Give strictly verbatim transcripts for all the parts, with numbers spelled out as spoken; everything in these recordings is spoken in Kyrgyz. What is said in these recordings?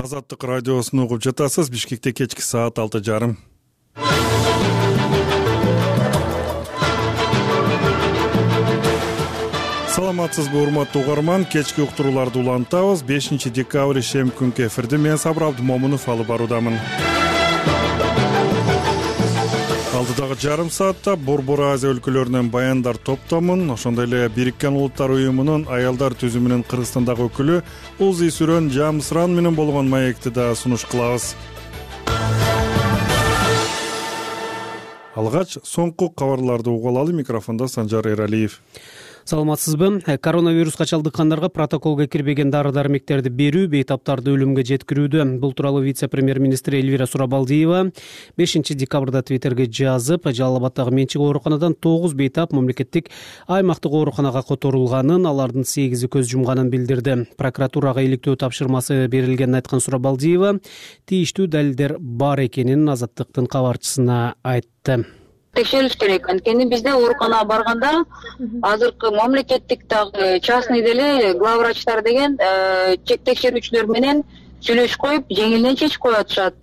Азаттык радиосун угуп жатасыз. Бишкекте кечки саат алты жарым. Саламатсызбы, урматтуу угарман? Кечки уктурууларды улантабыз. бешинчи декабрь ишем күнкү эфирди мен Сабыр Абдымомунов алып баруудамын. Алдыдагы жарым саатта Борбор Азия өлкөлөрүнөн баяндар топтомун, ошондой эле Бириккен Улуттар уюмунун аялдар түзүмүнүн Кыргызстандагы өкүлү Узи Сүрөн Жамсыран менен болгон маекти да сунуш кылабыз. Алгач соңку кабарларды угуп алалы. Микрофондо Санжар Эралиев. Саламатсызбы? Коронавируска чалдыккандарга протоколго кирбеген дары-дармектерди берүү бейтаптарды өлүмгө жеткирүүдө. Бул тууралуу вице-премьер-министр Эльвира Сурабалдиева бешинчи декабрда Твиттерге жазып, Жалал Абаддагы менчик ооруканадан тогуз бейтап мамлекеттик аймактык ооруканага которулганын, алардын сегизи көз жумганын билдирди. Прокуратурага иликтөө тапшырмасы берилгенин айткан Сурабалдиева тийиштүү далилдер бар экенин Азаттыктын кабарчысына айтты. Текшериш керек. Анткени бизде ооруканага барганда азыркы мамлекеттик дагы частный деле главврачтар деген чек текшерүүчүлөр менен сүйлөшүп коюп, жеңилинен чечип коюп атышат.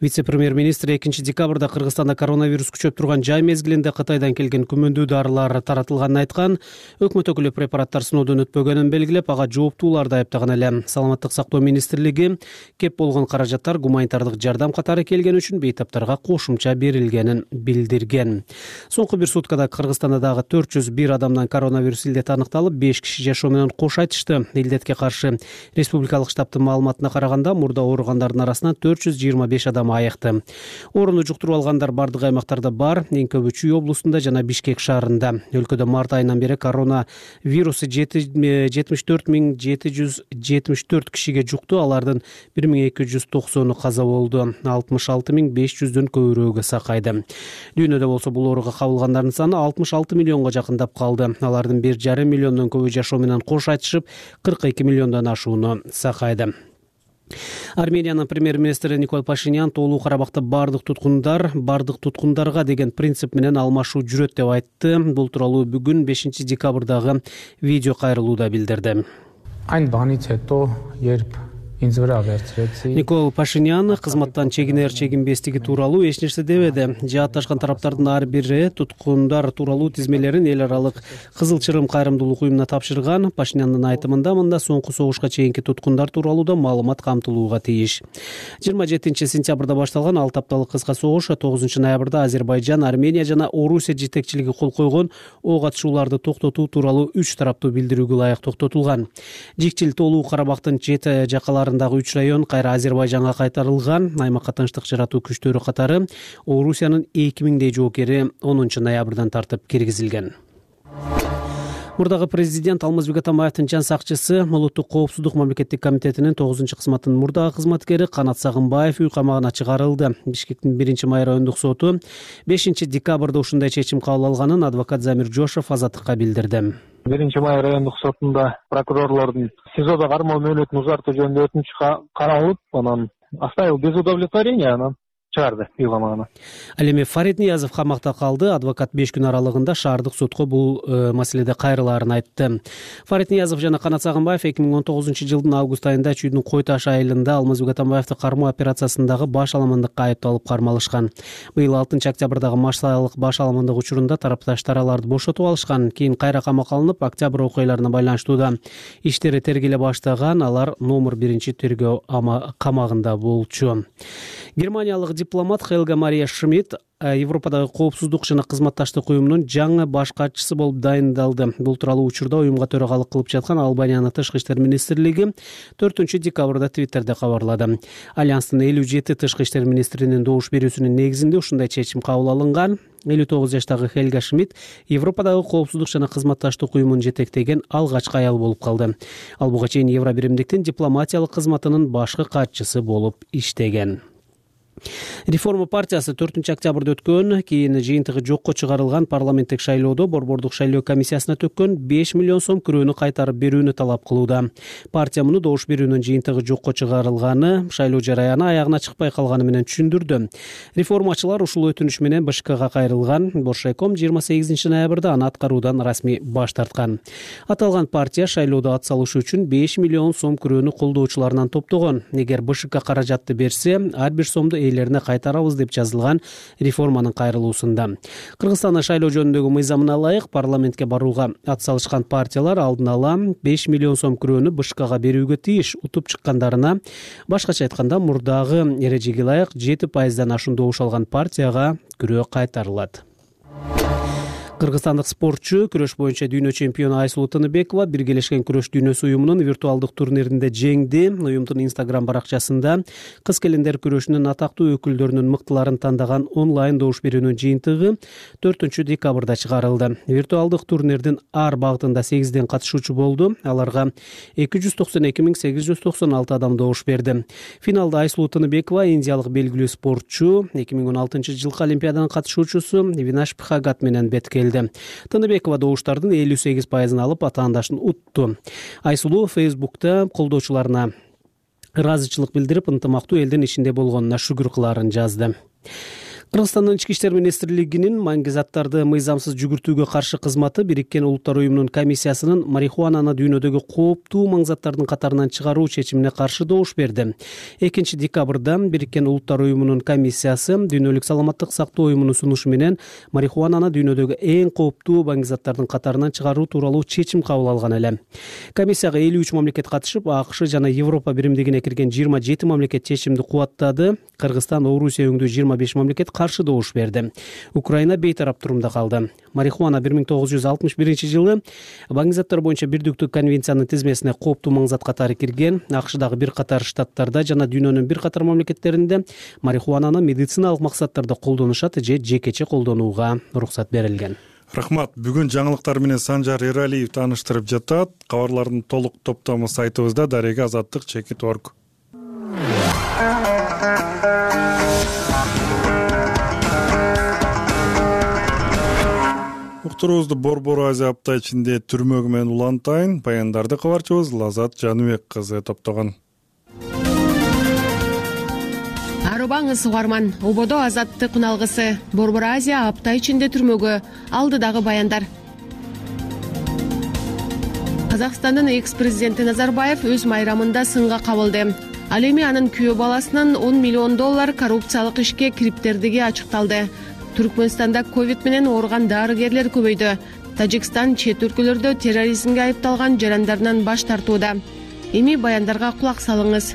Вице-премьер-министр экинчи декабрда Кыргызстанда коронавирус күчөп турган жай мезгилинде Кытайдан келген күмөндүү дарылар таратылганын айткан. Өкмөт өкүлү препараттар сыноодон өтпөгөнүн белгилеп, ага жооптууларды айыптаган эле. Саламаттык сактоо министрлиги кеп болгон каражаттар гуманитардык жардам катары келген үчүн бейтаптарга кошумча берилгенин билдирген. Соңку бир суткада Кыргызстанда дагы төрт жүз бир адамдан коронавирус илдети аныкталып, беш киши жашоо менен кош айтышты. Илдетке каршы республикалык штабтын маалыматына караганда, мурда ооругандардын арасынан төрт жүз жыйырма беш адам айыкты. Орунду жуктуруп алгандар бардык аймактарда бар, эң көбү Чүй облусунда жана Бишкек шаарында. Өлкөдө март айынан бери коронавирусу жетимиш төрт миң жети жүз жетимиш төрт кишиге жукту, алардын бир миң эки жүз токсону каза болду, алтымыш алты миң беш жүздөн көбүрөөгө сакайды. Дүйнөдө болсо бул ооруга кабылгандардын саны алтымыш алты миллионго жакындап калды. Алардын бир жарым миллиондон көбү жашоо менен кош айтышып, кырк эки миллиондон ашууну сакайды. Армениянын премьер-министри Никол Пашинян Тоолуу Карабакта бардык туткундар бардык туткундарга деген принцип менен алмашуу жүрөт деп айтты. Бул тууралуу бүгүн бешинчи декабрдагы видео кайрылууда билдирди. Никол Пашинян кызматтан чегинер чегинбестиги тууралуу эч нерсе дебеди. Жаатташкан тараптардын ар бири туткундар тууралуу тизмелерин эл аралык Кызыл Чырым кайрымдуулук уюмуна тапшырган. Пашиняндын айтымында мында соңку согушка чейинки туткундар тууралуу да маалымат камтылууга тийиш. жыйырма жетинчи сентябрда башталган алты апталык кыска согуш тогузунчу ноябрда Азербайжан, Армения жана Орусия жетекчилиги кол койгон ок атышууларды токтотуу тууралуу үч тараптуу билдирүүгө ылайык токтотулган. Жикчил Тоолуу Карабактын чет жакалары үч район кайра Азербайжанга кайтарылган. Аймакка тынчтык жаратуу күчтөрү катары Орусиянын эки миңдей жоокери онунчу ноябрдан тартып киргизилген. Мурдагы президент Алмазбек Атамбаевдин жан сакчысы, Улуттук коопсуздук мамлекеттик комитетинин тогузунчу кызматтын мурдагы кызматкери Канат Сагынбаев үй камагына чыгарылды. Бишкектин биринчи май райондук соту бешинчи декабрда ушундай чечим кабыл алганын адвокат Замир Жошов Азаттыкка билдирди. биринчи май райондук сотунда прокурорлордун СИЗОдо кармоо мөөнөтүн узартуу жөнүндө өтүнүч каралып, анан оставил без удовлетворения, анан чыгарды үй камагына. Ал эми Фарид Ниязов камакта калды. Адвокат беш күн аралыгында шаардык сотко бул э, маселеде кайрылаарын айтты. Фарид Ниязов жана Канат Сагынбаев эки миң он тогузунчу жылдын август айында Чүйдүн Кой Таш айылында Алмазбек Атамбаевди кармоо операциясындагы баш аламандыкка айыпталып кармалышкан. Быйыл алтынчы октябрдагы массалык баш аламандык учурунда тарапташтар аларды бошотуп алышкан. Кийин кайра камакка алынып, октябрь окуяларына байланыштуу иштери тергеле баштаган. Алар номер биринчи тергөө камагында болчу. Германиялык дипломат Хелга Мария Шмидт Европадагы коопсуздук жана кызматташтык уюмунун жаңы баш катчысы болуп дайындалды. Бул тууралуу учурда уюмга төрагалык кылып жаткан Албаниянын тышкы иштер министрлиги төртүнчү декабрда Твиттерде кабарлады. Альянстын элүү жети тышкы иштер министринин добуш берүүсүнүн негизинде ушундай чечим кабыл алынган. элүү тогуз жаштагы Хелга Шмидт Европадагы коопсуздук жана кызматташтык уюмун жетектеген алгачкы аял болуп калды. Ал буга чейин Евробиримдиктин дипломатиялык кызматынын башкы катчысы болуп иштеген. Реформа партиясы төртүнчү октябрда өткөн кийин жыйынтыгы жокко чыгарылган парламенттик шайлоодо борбордук шайлоо комиссиясына төккөн беш миллион сом күрөөнү кайтарып берүүнү талап кылууда. Партия муну добуш берүүнүн жыйынтыгы жокко чыгарылганы, шайлоо жараяны аягына чыкпай калганы менен түшүндүрдү. Реформачылар ушул өтүнүш менен БШКга кайрылган. Боршайком жыйырма сегизинчи ноябрда аны аткаруудан расмий баш тарткан. Аталган партия шайлоодо ат салышы үчүн беш миллион сом күрөөнү колдоочуларынан топтогон. Эгер БШК каражатты берсе, ар бир сомду ээлерине кайтарабыз деп жазылган реформанын кайрылуусунда. Кыргызстандын шайлоо жөнүндөгү мыйзамына ылайык парламентке барууга ат салышкан партиялар алдын ала беш миллион сом күрөөнү БШКга берүүгө тийиш. Утуп чыккандарына, башкача айтканда, мурдагы эрежеге ылайык жети пайыздан ашуун добуш алган партияга күрөө кайтарылат. Кыргызстандык спортчу күрөш боюнча дүйнө чемпиону Айсулуу Тыныбекова Биргелешкен күрөш дүйнөсү уюмунун виртуалдык турниринде жеңди. Уюмдун Instagram баракчасында кыз келиндер күрөшүнүн атактуу өкүлдөрүнүн мыктыларын тандаган онлайн добуш берүүнүн жыйынтыгы төртүнчү декабрда чыгарылды. Виртуалдык турнирдин ар багытында сегизден катышуучу болду. Аларга эки жүз токсон эки миң сегиз жүз токсон алты адам добуш берди. Финалда Айсулуу Тыныбекова индиялык белгилүү спортчу, эки миң он алтынчы жылкы Олимпиаданын катышуучусу Винаш Пхагат менен бет келди. Тыныбекова добуштардын элүү сегиз пайызын алып атаандашын утту. Айсулуу Фейсбукта колдоочуларына ыраазычылык билдирип, ынтымактуу элдин ичинде болгонуна шүгүр кылаарын жазды. Кыргызстандын Ички иштер министрлигинин маңги заттарды мыйзамсыз жүгүртүүгө каршы кызматы Бириккен Улуттар уюмунун комиссиясынын марихуананы дүйнөдөгү кооптуу маң заттардын катарынан чыгаруу чечимине каршы добуш берди. экинчи декабрда Бириккен Улуттар уюмунун комиссиясы Дүйнөлүк саламаттык сактоо уюмунун сунушу менен марихуананы дүйнөдөгү эң кооптуу маң заттардын катарынан чыгаруу тууралуу чечим кабыл алган эле. Комиссияга элүү үч мамлекет катышып, АКШ жана Европа биримдигине кирген жыйырма жети мамлекет чечимди кубаттады. Кыргызстан, Орусия өңдүү жыйырма беш мамлекет каршы добуш берди. Украина бейтарап турумда калды. Марихуана бир миң тогуз жүз алтымыш биринчи жылы маң заттар боюнча бирдиктүү конвенциянын тизмесине кооптуу маң зат катары кирген. АКШдагы бир катар штаттарда жана дүйнөнүн бир катар мамлекеттеринде марихуананы медициналык максаттарда колдонушат же жекече колдонууга уруксат берилген. Рахмат. Бүгүн жаңылыктар менен Санжар Эралиев тааныштырып жатат. Кабарлардын толук топтому сайтыбызда дареги азаттык чекит точка орг. Уктуруубузду Борбор Азия апта ичинде түрмөгү менен улантайын. Баяндарды кабарчыбыз Лазат Жаныбек кызы топтогон. Арыбаңыз угарман, ободо азаттык уналгысы. Борбор Азия апта ичинде түрмөгө, алдыдагы баяндар. Казакстандын экс-президенти Назарбаев өз майрамында сынга кабылды. Ал эми анын күйөө баласынын он миллион доллар коррупциялык ишке кириптердиги ачыкталды. Түркмөнстанда ковид менен ооруган дарыгерлер көбөйдү. Тажикстан чет өлкөлөрдө терроризмге айыпталган жарандарынан баш тартууда. Эми баяндарга кулак салыңыз.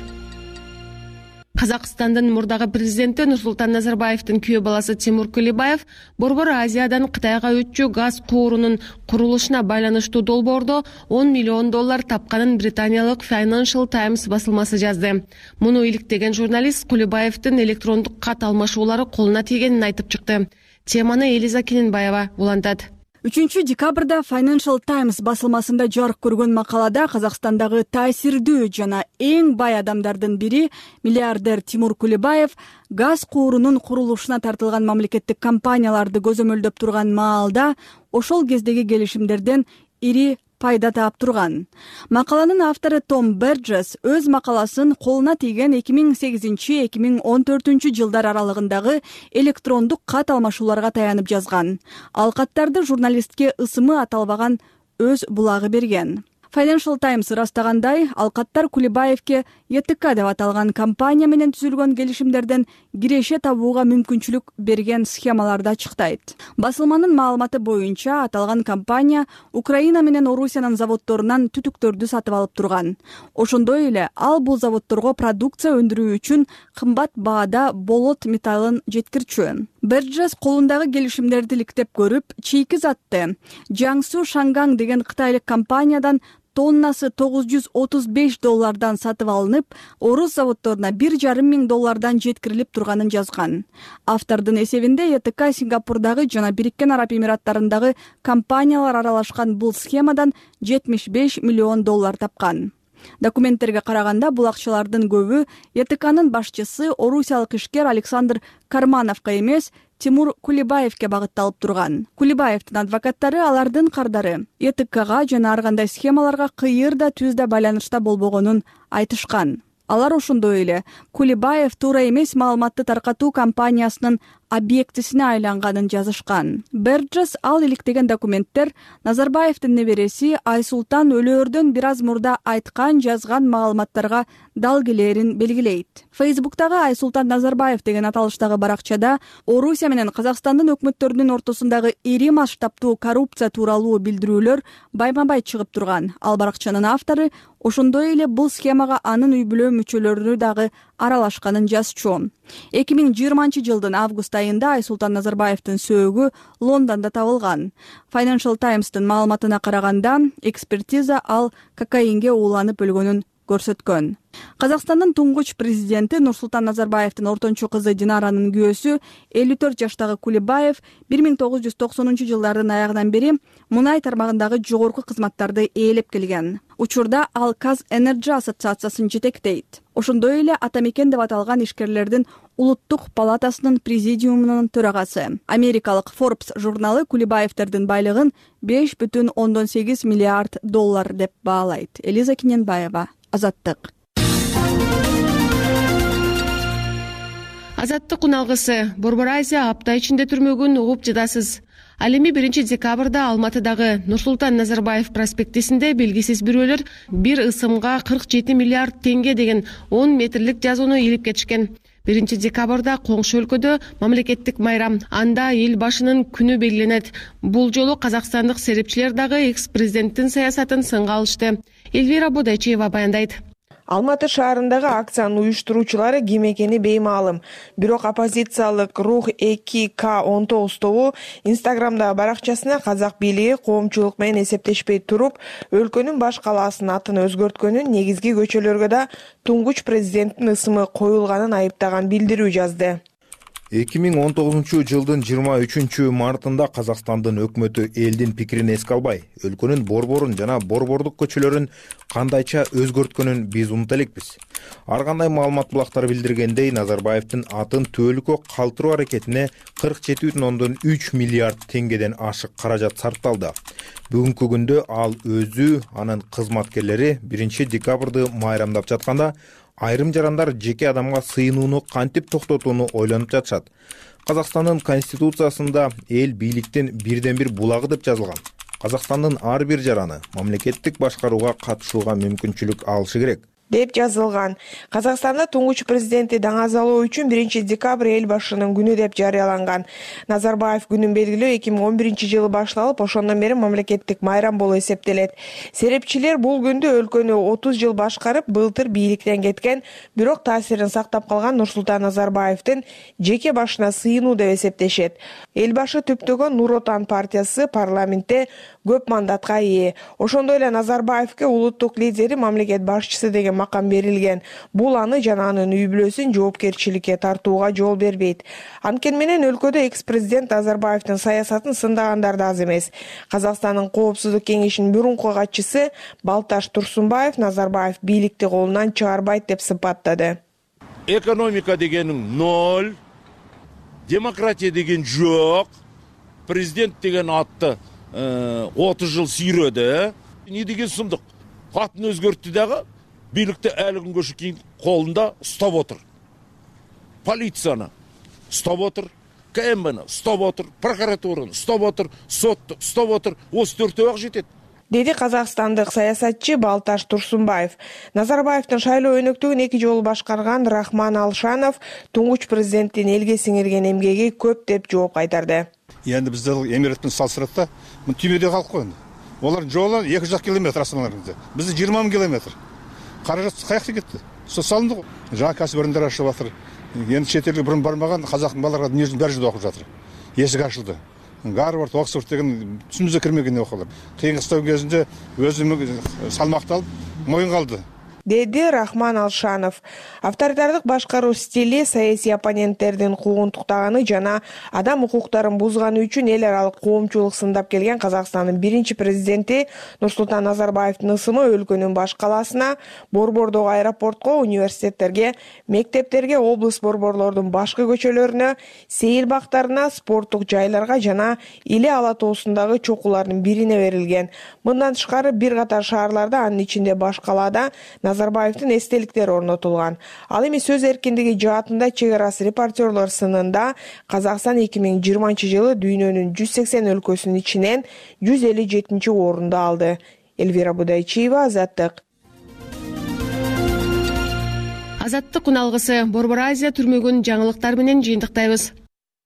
Казакстандын мурдагы президенти Нурсултан Назарбаевдин күйөө баласы Тимур Кулебаев Борбор Азиядан Кытайга өтчү газ куурунун курулушуна байланыштуу долбоордо он миллион доллар тапканын британиялык Financial Times басылмасы жазды. Муну иликтеген журналист Кулебаевдин электрондук кат алмашуулары колуна тийгенин айтып чыкты. Теманы Элиза Кененбаева улантат. үчүнчү декабрда Financial Times басылмасында жарык көргөн макалада Казакстандагы таасирдүү жана эң бай адамдардын бири миллиардер Тимур Кулебаев газ куурунун курулушуна тартылган мамлекеттик компанияларды көзөмөлдөп турган маалда ошол кездеги келишимдерден ири пайда таап турган. Макаланын автору Том Берджес өз макаласын колуна тийген эки миң сегизинчи эки миң он төртүнчү жылдар аралыгындагы электрондук кат алмашууларга таянып жазган. Ал каттарды журналистке ысымы аталбаган өз булагы берген. Financial Times ырастагандай, ал каттар Кулебаевке Е Т К деп аталган компания менен түзүлгөн келишимдерден киреше табууга мүмкүнчүлүк берген схемаларды ачыктайт. Басылманын маалыматы боюнча, аталган компания Украина менен Орусиянын заводдорунан түтүктөрдү сатып алып турган. Ошондой эле ал бул заводдорго продукция өндүрүү үчүн кымбат баада болот металлын жеткирчү. Берджес колундагы келишимдерди иликтеп көрүп, чийки затты Jiangsu Shangang деген кытайлык компаниядан тоннасы тогуз жүз отуз беш доллардан сатып алынып, орус заводдоруна бир жарым миң доллардан жеткирилип турганын жазган. Автордун эсебинде Е Т К Сингапурдагы жана Бириккен Араб Эмираттарындагы компаниялар аралашкан бул схемадан жетимиш беш миллион доллар тапкан. Документтерге караганда бул акчалардын көбү Е Т К'нын башчысы орусиялык ишкер Александр Кармановго эмес, Тимур Кулибаевке багытталып турган. Кулибаевдин адвокаттары алардын кардары Е Т К'га жана ар кандай схемаларга кыйыр да түз да байланышта болбогонун айтышкан. Алар ошондой эле Кулибаев туура эмес маалыматты таркатуу компаниясынын объектисине айланганын жазышкан. Берджес ал иликтеген документтер Назарбаевдин небереси Айсултан өлөөрдөн бир аз мурда айткан, жазган маалыматтарга дал келерин белгилейт. Фейсбуктагы Айсултан Назарбаев деген аталыштагы баракчада Орусия менен Казакстандын өкмөттөрүнүн ортосундагы ири масштабтуу коррупция тууралуу билдирүүлөр байма-бай чыгып турган. Ал баракчанын автору ошондой эле бул схемага анын үй бүлө мүчөлөрү дагы аралашканын жазчу. эки миң жыйырманчы жылдын август айында Айсултан Назарбаевдин сөөгү Лондондо табылган. Financial Times'тын маалыматына караганда, экспертиза ал кокаинге ууланып өлгөнүн көрсөткөн. Казакстандын туңгуч президенти Нурсултан Назарбаевдин ортончу кызы Динаранын күйөөсү элүү төрт жаштагы Кулибаев бир миң тогуз жүз токсонунчу жылдардын аягынан бери мунай тармагындагы жогорку кызматтарды ээлеп келген. Учурда ал Казэнерджи ассоциациясын жетектейт. Ошондой эле Атамекен деп аталган ишкерлердин улуттук палатасынын президиумунун төрагасы. Америкалык Forbes журналы Кулибаевдердин байлыгын беш бүтүн ондон сегиз миллиард доллар деп баалайт. Элиза Киненбаева, Азаттык. Азаттык уналгысы. Борбор Азия апта ичинде түрмөгүн угуп жатасыз. Ал эми биринчи декабрда Алматыдагы Нурсултан Назарбаев проспектисинде белгисиз бирөөлөр бир ысымга кырк жети миллиард теңге деген он метрлик жазууну илип кетишкен. биринчи декабрда коңшу өлкөдө мамлекеттик майрам, анда эл башынын күнү белгиленет. Бул жолу казакстандык серепчилер дагы экс-президенттин саясатын сынга алышты. Эльвира Бодайчиева баяндайт. Алматы шаарындагы акциянын уюштуруучулары ким экени беймаалым. Бирок оппозициялык Рух эки К он тогуз тобу Инстаграмдагы баракчасына казак бийлиги коомчулук менен эсептешпей туруп, өлкөнүн баш калаасынын атын өзгөрткөнүн, негизги көчөлөргө да туңгуч президенттин ысымы коюлганын айыптаган билдирүү жазды. эки миң он тогузунчу жылдын жыйырма үчүнчү мартында Казакстандын өкмөтү элдин пикирин эске албай, өлкөнүн борборун жана борбордук көчөлөрүн кандайча өзгөрткөнүн биз унута элекпиз. Ар кандай маалымат булактары билдиргендей, Назарбаевдин атын түбөлүккө калтыруу аракетине кырк жети бүтүн ондон үч миллиард теңгеден ашык каражат сарпталды. Бүгүнкү күндө ал өзү, анын кызматкерлери биринчи декабрды майрамдап жатканда, айрым жарандар жеке адамга сыйынууну кантип токтотууну ойлонуп жатышат. Казакстандын конституциясында эл бийликтин бирден бир булагы деп жазылган. Казакстандын ар бир жараны мамлекеттик башкарууга катышууга мүмкүнчүлүк алышы керек деп жазылган. Казакстанда туңгуч президентти даңазалоо үчүн биринчи декабрь эл башынын күнү деп жарыяланган. Назарбаев күнүн белгилөө эки миң он биринчи жылы башталып, ошондон бери мамлекеттик майрам болуп эсептелет. Серепчилер бул күндү өлкөнү отуз жыл башкарып, былтыр бийликтен кеткен, бирок таасирин сактап калган Нурсултан Назарбаевдин жеке башына сыйынуу деп эсептешет. Эл башы түптөгөн Нур Отан партиясы парламентте көп мандатка ээ. Ошондой эле Назарбаевке улуттук лидери, мамлекет башчысы деген макам берилген. Бул аны жана анын үй бүлөсүн жоопкерчиликке тартууга жол бербейт. Анткени менен өлкөдө экс-президент Назарбаевдин саясатын сындагандар да аз эмес. Казакстандын Коопсуздук кеңешинин мурунку катчысы Балташ Турсунбаев Назарбаев бийликти колунан чыгарбайт деп сыпаттады. Экономика дегенин ноль, демократия деген жок, президент деген атты отуз жыл сүйрөдү. Не деген сумдук? Атын өзгөрттү дагы, бийликти әлі күнгө чейин колунда уштап отур. Полицияны уштап отур, К М Б'ни уштап отур, прокуратураны уштап отур, сотту уштап отур. Осы төртөө ак жетет. Деди казакстандык саясатчы Балташ Турсунбаев. Назарбаевдин шайлоо өнөктүгүн эки жолу башкарган Рахман Алшанов туңгуч президенттин элге сиңирген эмгеги көп деп жооп кайтарды. Енді бізде эмиретпен салыстырат, түймеде калып койду. Олардын жолу эки жүз километр астаналарында. Бизде жыйырма миң километр. Каражат каякта кетти? Со салынды го. Жаңа кәсіпорындар ашылып жатыр. Енді чет элге бұрын бармаған қазақтың балалары дүниежүзүнүн бер жерде окуп жатыр. Есік ашылды. Гарвард, Оксфорд деген түсүнүзгө кирмеген окуулар. Кыйын кыстоо кезинде өзүм салмакталып, моюнга алды. деди Рахман Алшанов. Авторитардык башкаруу стили саясий оппоненттердин куугунтуктаганы жана адам укуктарын бузганы үчүн эл аралык коомчулук сындап келген Казакстандын биринчи президенти Нурсултан Назарбаевдин ысымы өлкөнүн баш калаасына, Борбордогу аэропортко, университеттерге, мектептерге, облус борборлордун башкы көчөлөрүнө, сейил бактарына, спорттук жайларга жана Иле Ала тоосундагы чокулардын бирине берилген. Мындан тышкары бир катар шаарларда, анын ичинде баш калаада Назарбаевдин эстеликтери орнотулган. Ал эми сөз эркиндиги жаатында чек арасы репортерлор сынында Казакстан эки миң жыйырманчы жылы дүйнөнүн жүз сексен өлкөсүнүн ичинен жүз элүү жетинчи орунду алды. Элвира Будайчиева, Азаттык. Азаттык уналгысы Борбор Азия түрмөгүн жаңылыктар менен жыйынтыктайбыз.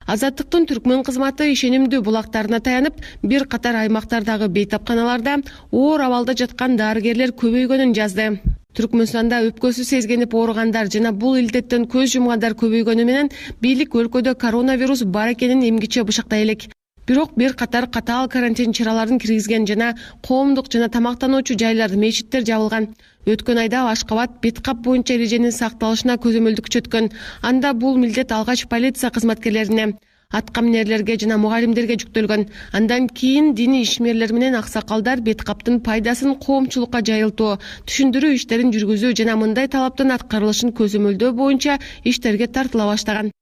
Азаттыктын түркмөн кызматы ишенимдүү булактарына таянып, бир катар аймактардагы бейтапканаларда оор абалда жаткан дарыгерлер көбөйгөнүн жазды. Түркмөнстанда өпкөсү сезгенип ооругандар жана бул илдеттен көз жумгандар көбөйгөнү менен бийлик өлкөдө коронавирус бар экенин эмгиче бышыктай элек. Бирок бир катар катаал карантин чараларын киргизген жана коомдук жана тамактануучу жайлар, мечиттер жабылган. Өткөн айда Ашкабад бет кап боюнча эреженин сакталышына көзөмөлдүк күчөткөн. Анда бул милдет алгач полиция кызматкерлерине, аткаминерлерге жана мугалимдерге жүктөлгөн. Андан кийин диний ишмерлер менен аксакалдар бет каптын пайдасын коомчулукка жайылтуу, түшүндүрүү иштерин жүргүзүү жана мындай талаптын аткарылышын көзөмөлдөө боюнча иштерге тартыла баштаган.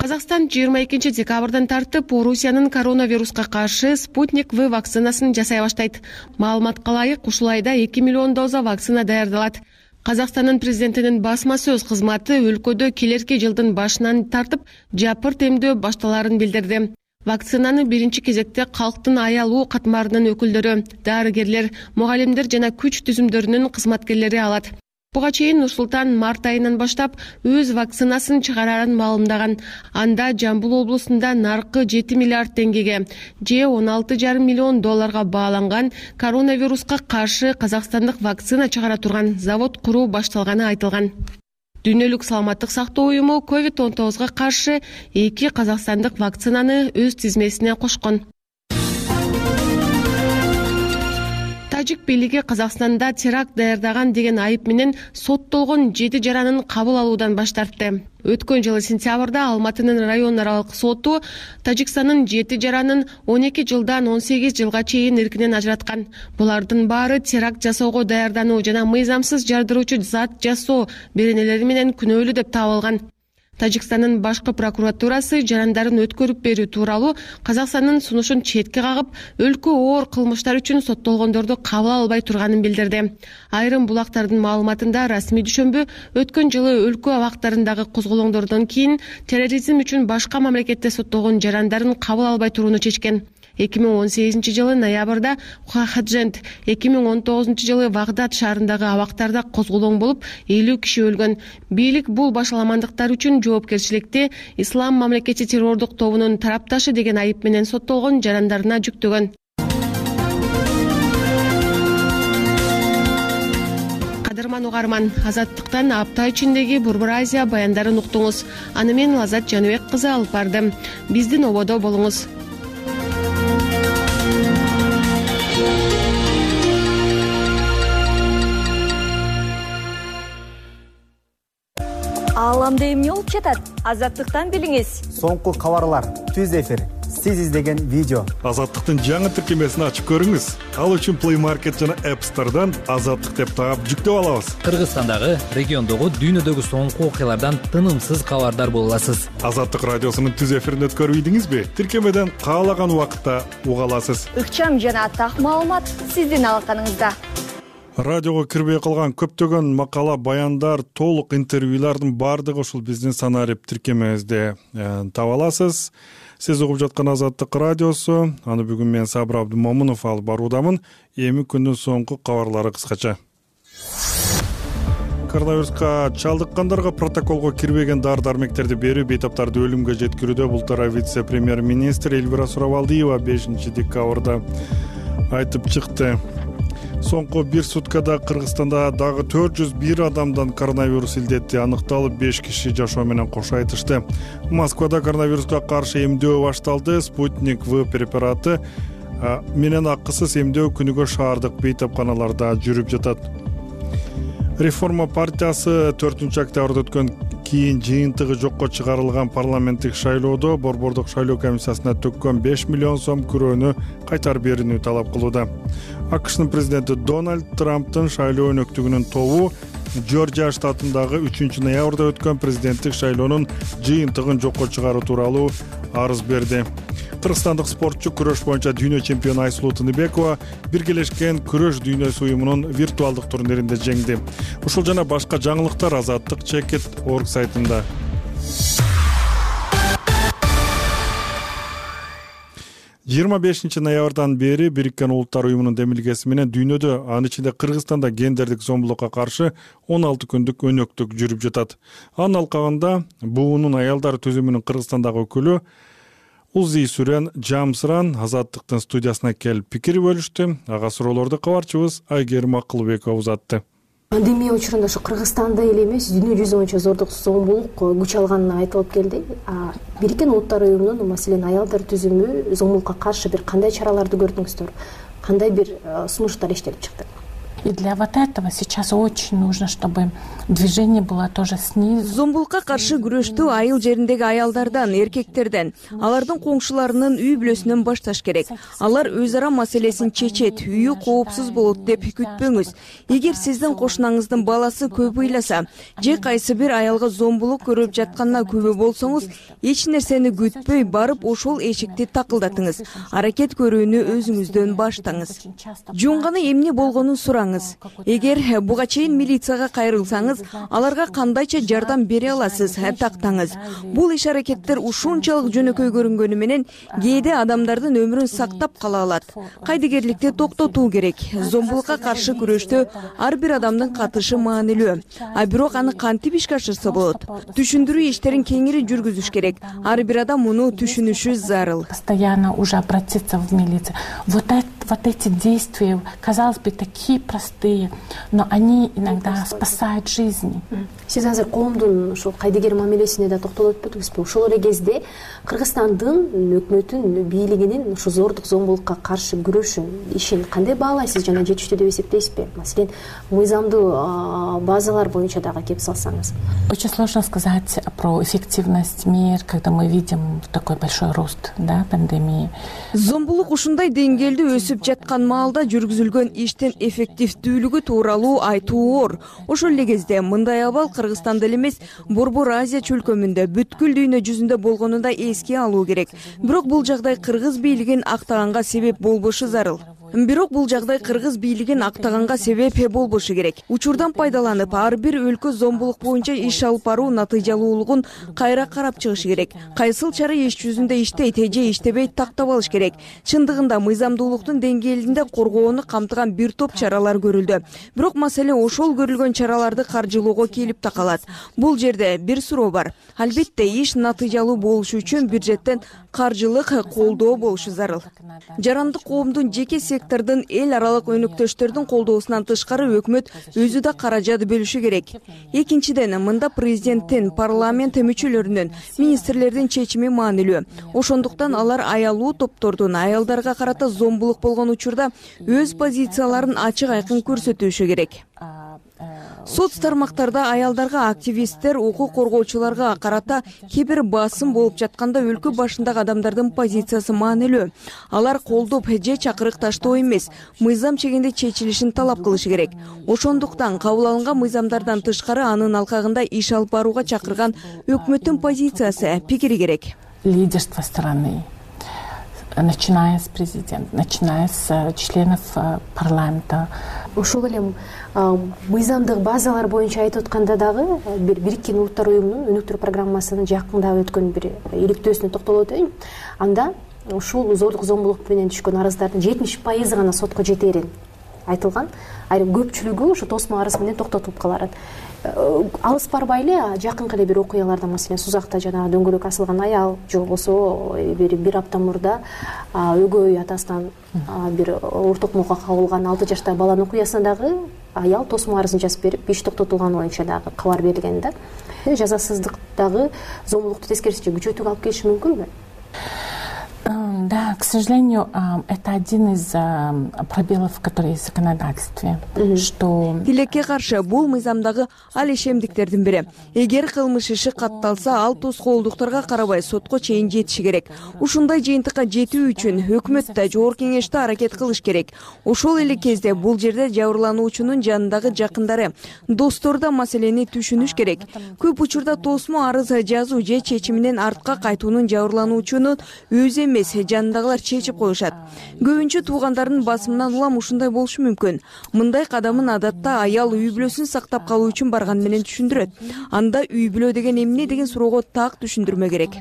Казакстан жыйырма экинчи декабрдан тартып Орусиянын коронавируска каршы Спутник В вакцинасын жасай баштайт. Маалыматка ылайык, ушул айда эки миллион доза вакцина даярдалат. Казакстандын президентинин басма сөз кызматы өлкөдө келерки жылдын башынан тартып жапырт эмдөө башталарын билдирди. Вакцинаны биринчи кезекте калктын аялуу катмарынын өкүлдөрү, дарыгерлер, мугалимдер жана күч түзүмдөрүнүн кызматкерлери алат. Буга чейин Нурсултан март айынан баштап өз вакцинасын чыгарарын маалымдаган. Анда Жамбыл облусунда наркы жети миллиард теңгеге, же он алты жарым миллион долларга бааланган коронавируска каршы казакстандык вакцина чыгара турган завод куруу башталганы айтылган. Дүйнөлүк саламаттык сактоо уюму ковид он тогузга каршы эки казакстандык вакцинаны өз тизмесине кошкон. Тажик бийлиги Казакстанда теракт даярдаган деген айып менен соттолгон жети жаранын кабыл алуудан баш тартты. Өткөн жылы сентябрда Алматынын район аралык соту Тажикстандын жети жаранын он эки жылдан он сегиз жылга чейин эркинен ажыраткан. Булардын баары теракт жасоого даярдануу жана мыйзамсыз жардыруучу зат жасоо беренелери менен күнөөлүү деп табылган. Тажикстандын башкы прокуратурасы жарандарын өткөрүп берүү тууралуу Казакстандын сунушун четке кагып, өлкө оор кылмыштар үчүн соттолгондорду кабыл албай турганын билдирди. Айрым булактардын маалыматында расмий дүшөмбү өткөн жылы өлкө абактарындагы козголоңдордон кийин терроризм үчүн башка мамлекетте соттолгон жарандарын кабыл албай турууну чечкен. эки миң он сегизинчи жылы ноябрда Хахаджент, эки миң он тогузунчу жылы Вагдад шаарындагы абактарда козголоң болуп, элүү киши өлгөн. Бийлик бул башаламандыктар үчүн жоопкерчиликти Ислам мамлекети террордук тобунун тарапташы деген айып менен соттолгон жарандарына жүктөгөн. Кадырман угарман, Азаттыктан апта ичиндеги Борбор Азия баяндарын уктуңуз. Аны мен Лазат Жаныбек кызы алып бардым. Биздин ободо болуңуз. Ааламда эмне болуп жатат? Азаттыктан билиңиз. Соңку кабарлар, түз эфир, сиз издеген видео. Азаттыктын жаңы тиркемесин ачып көрүңүз. Ал үчүн Play Market жана App Store'дан Азаттык деп таап жүктөп алабыз. Кыргызстандагы, региондогу, дүйнөдөгү соңку окуялардан тынымсыз кабардар боло аласыз. Азаттык радиосунун түз эфирин өткөрүп ийдиңизби? Тиркемеден каалаган убакытта уга аласыз. Ыкчам жана так маалымат сиздин алаканыңызда. Радиого кирбей калган көптөгөн макала, баяндар, толук интервьюлардын баардыгы ушул биздин Санарип тиркемебизде таба аласыз. Сиз угуп жаткан Азаттык радиосу. Аны бүгүн мен Сабыр Абдымомунов алып баруудамын. Эми күндүн соңку кабарлары кыскача. Коронавируска чалдыккандарга протоколго кирбеген дары-дармектерди берүү бейтаптарды өлүмгө жеткирүүдө бул тууралуу вице-премьер-министр Эльвира Сурабалдиева бешинчи декабрда айтып чыкты. Соңку бир суткада Кыргызстанда дагы төрт жүз бир адамдан коронавирус илдети аныкталып, беш киши жашоо менен кош айтышты. Москвада коронавируска каршы эмдөө башталды. Спутник В препараты менен акысыз эмдөө күнүгө шаардык бейтапканаларда жүрүп жатат. Реформа партиясы төртүнчү октябрда өткөн кийин жыйынтыгы жокко чыгарылган парламенттик шайлоодо борбордук шайлоо комиссиясына төккөн беш миллион сом күрөөнү кайтарып берүүнү талап кылууда. АКШнын президенти Дональд Трамптын шайлоо өнөктүгүнүн тобу Жоржия штатындагы үчүнчү ноябрда өткөн президенттик шайлоонун жыйынтыгын жокко чыгаруу тууралуу арыз берди. Кыргызстандык спортчу күрөш боюнча дүйнө чемпиону Айсулуу Тыныбекова Биргелешкен күрөш дүйнөсү уюмунун виртуалдык турниринде жеңди. Ушул жана башка жаңылыктар азаттык чекит орг сайтында. жыйырма бешинчи ноябрдан бери Бириккен Улуттар уюмунун демилгеси менен дүйнөдө, анын ичинде Кыргызстанда гендердик зомбулукка каршы он алты күндүк өнөктүк жүрүп жатат. Анын алкагында буунун аялдар түзүмүнүн Кыргызстандагы өкүлү Узи Сүрен Жамсыран Азаттыктын студиясына келип пикир бөлүштү. Ага суроолорду кабарчыбыз Айгерим Акылбекова узатты. Пандемия учурунда ушу Кыргызстанда эле эмес, дүйнө жүзү боюнча зордук зомбулук күч алганын айтылып келди. Бириккен Улуттар уюмунун, маселен, аялдар түзүмү зомбулукка каршы бир кандай чараларды көрдүңүздөр? Кандай бир сунуштар иштелип чыкты? И для вот этого сейчас очень нужно, чтобы движение было тоже снизу. Зомбулукка каршы күрөштү айыл жериндеги аялдардан, эркектерден, алардын коңшуларынын үй бүлөсүнөн башташ керек. Алар өз ара маселесин чечет, үйү коопсуз болот деп күтпөңүз. Эгер сиздин кошунаңыздын баласы көп ыйласа, же кайсы бир аялга зомбулук көрүп жатканына күбө болсоңуз, эч нерсени күтпөй барып ошол эшикти такылдатыңыз. Аракет көрүүнү өзүңүздөн баштаңыз. Жунганы эмне болгонун сураңыз. Эгер буга чейин милицияга кайрылсаңыз, аларга кандайча жардам бере аласыз, тактаңыз. Бул иш аракеттер ушунчалык жөнөкөй көрүнгөнү менен кээде адамдардын өмүрүн сактап кала алат. Кайдыгерликти токтотуу керек. Зомбулукка каршы күрөштө ар бир адамдын катышы маанилүү. А бирок аны кантип ишке ашырса болот? Түшүндүрүү иштерин кеңири жүргүзүш керек. Ар бир адам муну түшүнүшү зарыл. Постоянно уже обратиться в милицию. Вот это, вот эти действия, казалось бы, такие простые, но они иногда спасают жизни. Сиз азыр коомдун ушул кайдыгер мамилесине да токтолуп өтпөдүңүзбү? Ошол эле кезде Кыргызстандын өкмөтүн бийлигинин ушу зордук зомбулукка каршы күрөшүн, ишин кандай баалайсыз жана жетиштүү деп эсептейсизби? Маселен, мыйзамдуу базалар боюнча дагы кеп салсаңыз. Очень сложно сказать про эффективность мер, когда мы видим такой большой рост, да, пандемии. Зомбулук ушундай деңгээлде өсүп жаткан маалда жүргүзүлгөн иштин эффективдүүлүгү тууралуу айтуу оор. Ошол эле кезде мындай абал Кыргызстанда эле эмес, Борбор Азия чөлкөмүндө, бүткүл дүйнө жүзүндө болгонун да эске алуу керек. Бирок бул жагдай кыргыз бийлигин актаганга себеп болбошу зарыл. Бирок бул жагдай кыргыз бийлигин актаганга себеп болбошу керек. Учурдан пайдаланып, ар бир өлкө зомбулук боюнча иш алып баруу натыйжалуулугун кайра карап чыгышы керек. Кайсыл чара иш жүзүндө иштейт же иштебейт тактап алыш керек. Чындыгында мыйзамдуулуктун деңгээлинде коргоону камтыган бир топ чаралар көрүлдү. Бирок маселе ошол көрүлгөн чараларды каржылоого келип такалат. Бул жерде бир суроо бар. Албетте иш натыйжалуу болушу үчүн бюджеттен каржылык колдоо болушу зарыл. Жарандык коомдун жеке сектордун эл аралык өнөктөштөрдүн колдоосунан тышкары өкмөт өзү да каражат бөлүшү керек. Экинчиден, мында президенттин, парламент мүчөлөрүнүн, министрлердин чечими маанилүү. Ошондуктан алар аялуу топтордун аялдарга карата зомбулук болгон учурда өз позицияларын ачык айкын көрсөтүшү керек. Соц тармактарда аялдарга, активисттер, укук коргоочуларга карата кээ бир басым болуп жатканда өлкө башындагы адамдардын позициясы маанилүү. Алар колдоп же чакырык таштоо эмес, мыйзам чегинде чечилишин талап кылышы керек. Ошондуктан кабыл алынган мыйзамдардан тышкары анын алкагында иш алып барууга чакырган өкмөттүн позициясы, пикири керек. Лидерство страны, начиная с президента, начиная с членов парламента. Ошол эле мыйзамдык базалар боюнча айтып атканда дагы бир Бириккен Улуттар уюмунун өнүктүрүү программасынын жакында өткөн бир иликтөөсүнө токтолуп өтөйүн. Анда ушул зордук зомбулук менен түшкөн арыздардын жетимиш пайызы гана сотко жетерин айтылган. Айрым көпчүлүгү ушу тосмо арыз менен токтотулуп калат. Алыс барбай эле жакынкы эле бир окуяларда, маселен, Сузакта жана дөңгөлөк асылган аял, же болбосо бир бир апта мурда өгөй атасынан бир ортокмокко кабылган алты жаштагы баланын окуясына дагы аял тосмо арызын жазып берип, иш токтотулганы боюнча дагы кабар берилген да. Жазасыздык дагы зомбулукту тескерисинче күчөтүүгө алып келиши мүмкүнбү? Да, к сожалению, это один из пробелов, которые есть в законодательстве, что... Тилекке каршы бул мыйзамдагы алешемдиктердин бири. Эгер кылмыш иши катталса, ал тоскоолдуктарга карабай сотко чейин жетиши керек. Ушундай жыйынтыкка жетүү үчүн өкмөт да, жогорку кеңеш да аракет кылыш керек. Ошол эле кезде бул жерде жабырлануучунун жанындагы жакындары, достор да маселени түшүнүш керек. Көп учурда тосмо арыз жазуу же чечиминен артка кайтуунун жабырлануучунун өзү эмес, жанындагылар чечип коюшат. Көбүнчө туугандарынын басымынан улам ушундай болушу мүмкүн. Мындай кадамын адатта аял үй бүлөсүн сактап калуу үчүн барган менен түшүндүрөт. Анда үй бүлө деген эмне деген суроого так түшүндүрмө керек.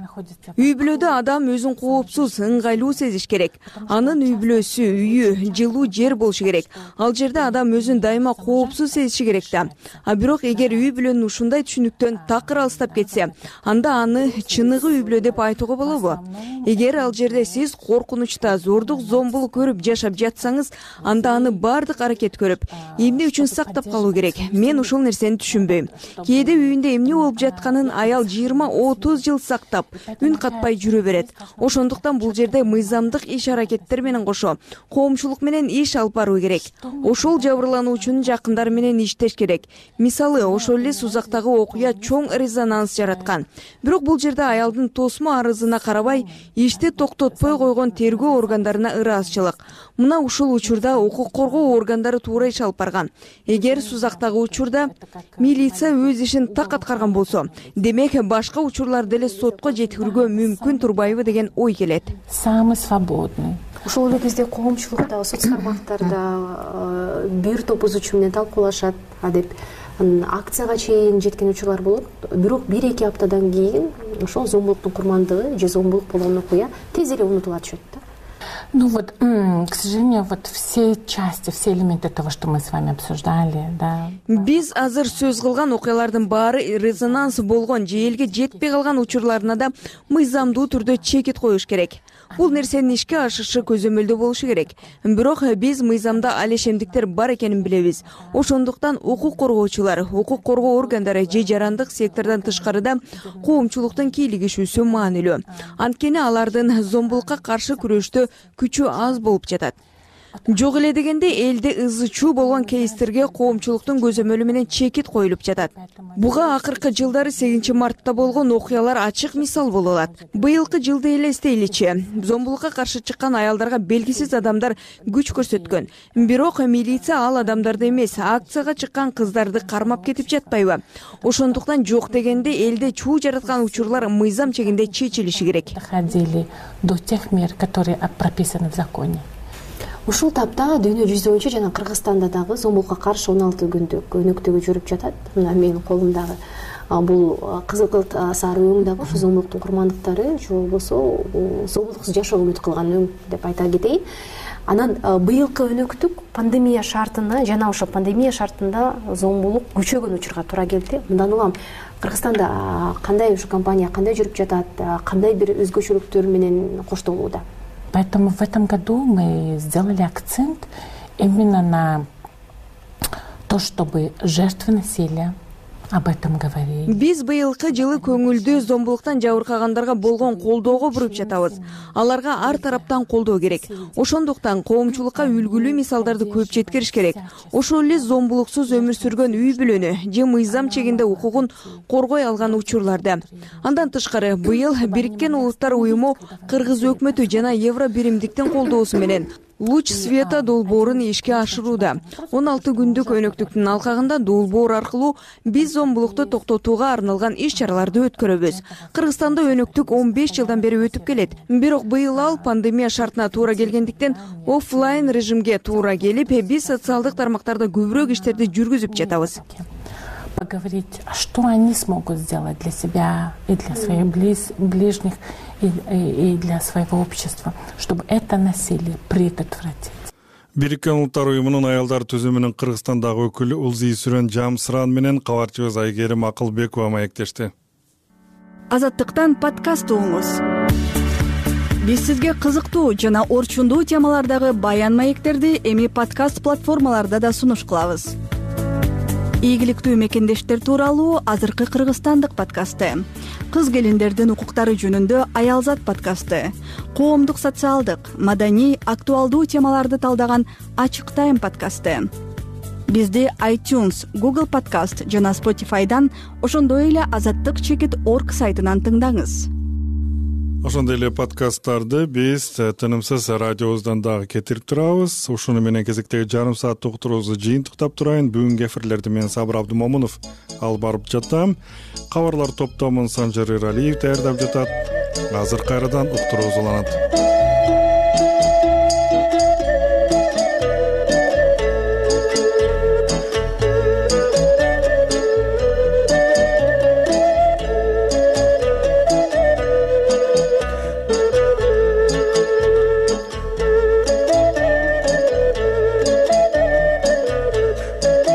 Үй бүлөдө адам өзүн коопсуз, ыңгайлуу сезиш керек. Анын үй бүлөсү, үйү, жылуу жер болушу керек. Ал жерде адам өзүн дайыма коопсуз сезиши керек да. А бирок эгер үй бүлөнүн ушундай түшүнүктөн такыр алыстап кетсе, анда аны чыныгы үй бүлө деп айтууга болобу? Эгер ал жерде сиз коркунучта, зордук, зомбулук көрүп жашап жатсаңыз, анда аны бардык аракет көрүп, эмне үчүн сактап калуу керек? Мен ушул нерсени түшүнбөйм. Кээде үйүндө эмне болуп жатканын аял жыйырма отуз жыл сактап, үн катпай жүрө берет. Ошондуктан бул жерде мыйзамдык иш аракеттер менен кошо коомчулук менен иш алып баруу керек. Ошол жабырлануучунун жакындары менен иштеш керек. Мисалы, ошол эле Сузактагы окуя чоң резонанс жараткан. Бирок бул жерде аялдын тосмо арызына карабай, ишти токтотпой койгон тергөө органдарына ыраазычылык. Мына ушул учурда укук коргоо органдары туура иш алып барган. Эгер Сузактагы учурда милиция өз ишин так аткарган болсо, демек башка учурлар деле сотко жеткирүүгө мүмкүн турбайбы деген ой келет. Самый свободный. Ошол эле кезде коомчулукта, соц тармактарда бир топ бузуучу менен талкуулашат, деп акцияга чейин жеткен учурлар болот. Бирок бир-эки аптадан кийин ошол зомбулуктун курмандыгы же зомбулук болгон окуя тез эле унутула түшөт да. Ну вот, к сожалению, вот все части, все элементы того, что мы с вами обсуждали, да. Биз азыр сөз кылган окуялардын баары резонанс болгон же элге жетпей калган учурларына да мыйзамдуу түрдө чекит коюш керек. Бул нерсенин ишке ашышы көзөмөлдө болушу керек. Бирок биз мыйзамда алешемдиктер бар экенин билебиз. Ошондуктан укук коргоочулар, укук коргоо органдары же жарандык сектордон тышкарыда коомчулуктун кийлигишүүсү маанилүү. Анткени алардын зомбулукка каршы күрөштө күчү аз болуп жатат. Жок эле дегенде элде ызы чуу болгон кейстерге коомчулуктун көзөмөлү менен чекит коюлуп жатат. Буга акыркы жылдары сегизинчи мартта болгон окуялар ачык мисал боло алат. Быйылкы жылды элестейличи, зомбулукка каршы чыккан аялдарга белгисиз адамдар күч көрсөткөн. Бирок милиция ал адамдарды эмес, акцияга чыккан кыздарды кармап кетип жатпайбы? Ошондуктан жок дегенде элде чуу жараткан учурлар мыйзам чегинде чечилиши керек. Доходили до тех мер, которые прописаны в законе. Ушул тапта дүйнө жүзү боюнча жана Кыргызстанда дагы зомбулукка каршы он алты күндүк өнөктөгү жүрүп жатат. Мына менин колумдагы бул кызыл сары өң дагы ушу зомбулуктун курмандыктары же болбосо зомбулуксуз жашоо үмүт кылган өң деп айта кетейин. Анан быйылкы өнөктүк пандемия шартына жана ошо пандемия шартында зомбулук күчөгөн учурга туура келди. Мындан улам Кыргызстанда кандай ушу компания кандай жүрүп жатат, кандай бир өзгөчөлүктөр менен коштолууда? Поэтому в этом году мы сделали акцент именно на то, чтобы жертвы насилия об этом говорили. Биз быйылкы жылы көңүлдүү зомбулуктан жабыркагандарга болгон колдоого буруп жатабыз. Аларга ар тараптан колдоо керек. Ошондуктан коомчулукка үлгүлүү мисалдарды көп жеткириш керек. Ошол эле зомбулуксуз өмүр сүргөн үй бүлөнү же мыйзам чегинде укугун коргой алган учурларды. Андан тышкары быйыл Бириккен Улуттар уюму Кыргыз өкмөтү жана Евро биримдиктин колдоосу менен Луч света долбоорун ишке ашырууда. он алты күндүк өнөктүктүн алкагында долбоор аркылуу биз зомбулукту токтотууга арналган иш-чараларды өткөрөбүз. Кыргызстанда өнөктүк он беш жылдан бери өтүп келет. Бирок быйыл ал пандемия шартына туура келгендиктен оффлайн режимге туура келип, биз социалдык тармактарда көбүрөөк иштерди жүргүзүп жатабыз. Поговорить, что они смогут сделать для себя и для своих близ, ближних, и, и, и для своего общества, чтобы это насилие предотвратить. Бириккен Улуттар уюмунун аялдар түзүмүнүн Кыргызстандагы өкүлү Улзий Сүрөн Жамсыран менен кабарчыбыз Айгерим Акылбекова маектешти. Азаттыктан подкаст угуңуз. Биз сизге кызыктуу жана орчундуу темалардагы баян маектерди эми подкаст платформаларда да сунуш кылабыз. ийгиликтүү мекендештер тууралуу азыркы кыргызстандык подкасты, кыз келиндердин укуктары жөнүндө Аялзат подкасты, коомдук социалдык, маданий, актуалдуу темаларды талдаган Ачык Тайм подкасты. Бизди iTunes, Google Podcast жана Spotify'дан, ошондой эле азаттык чекит точка орг сайтынан тыңдаңыз. Ошондой эле подкасттарды биз тынымсыз радиобуздан дагы кетирип турабыз. Ушуну менен кезектеги жарым сааттык уктуруубузду жыйынтыктап турайын. Бүгүнкү эфирлерди мен Сабыр Абдымомунов алып барып жатам. Кабарлар топтомун Санжар Эралиев даярдап жатат. Азыр кайрадан уктуруубуз уланат.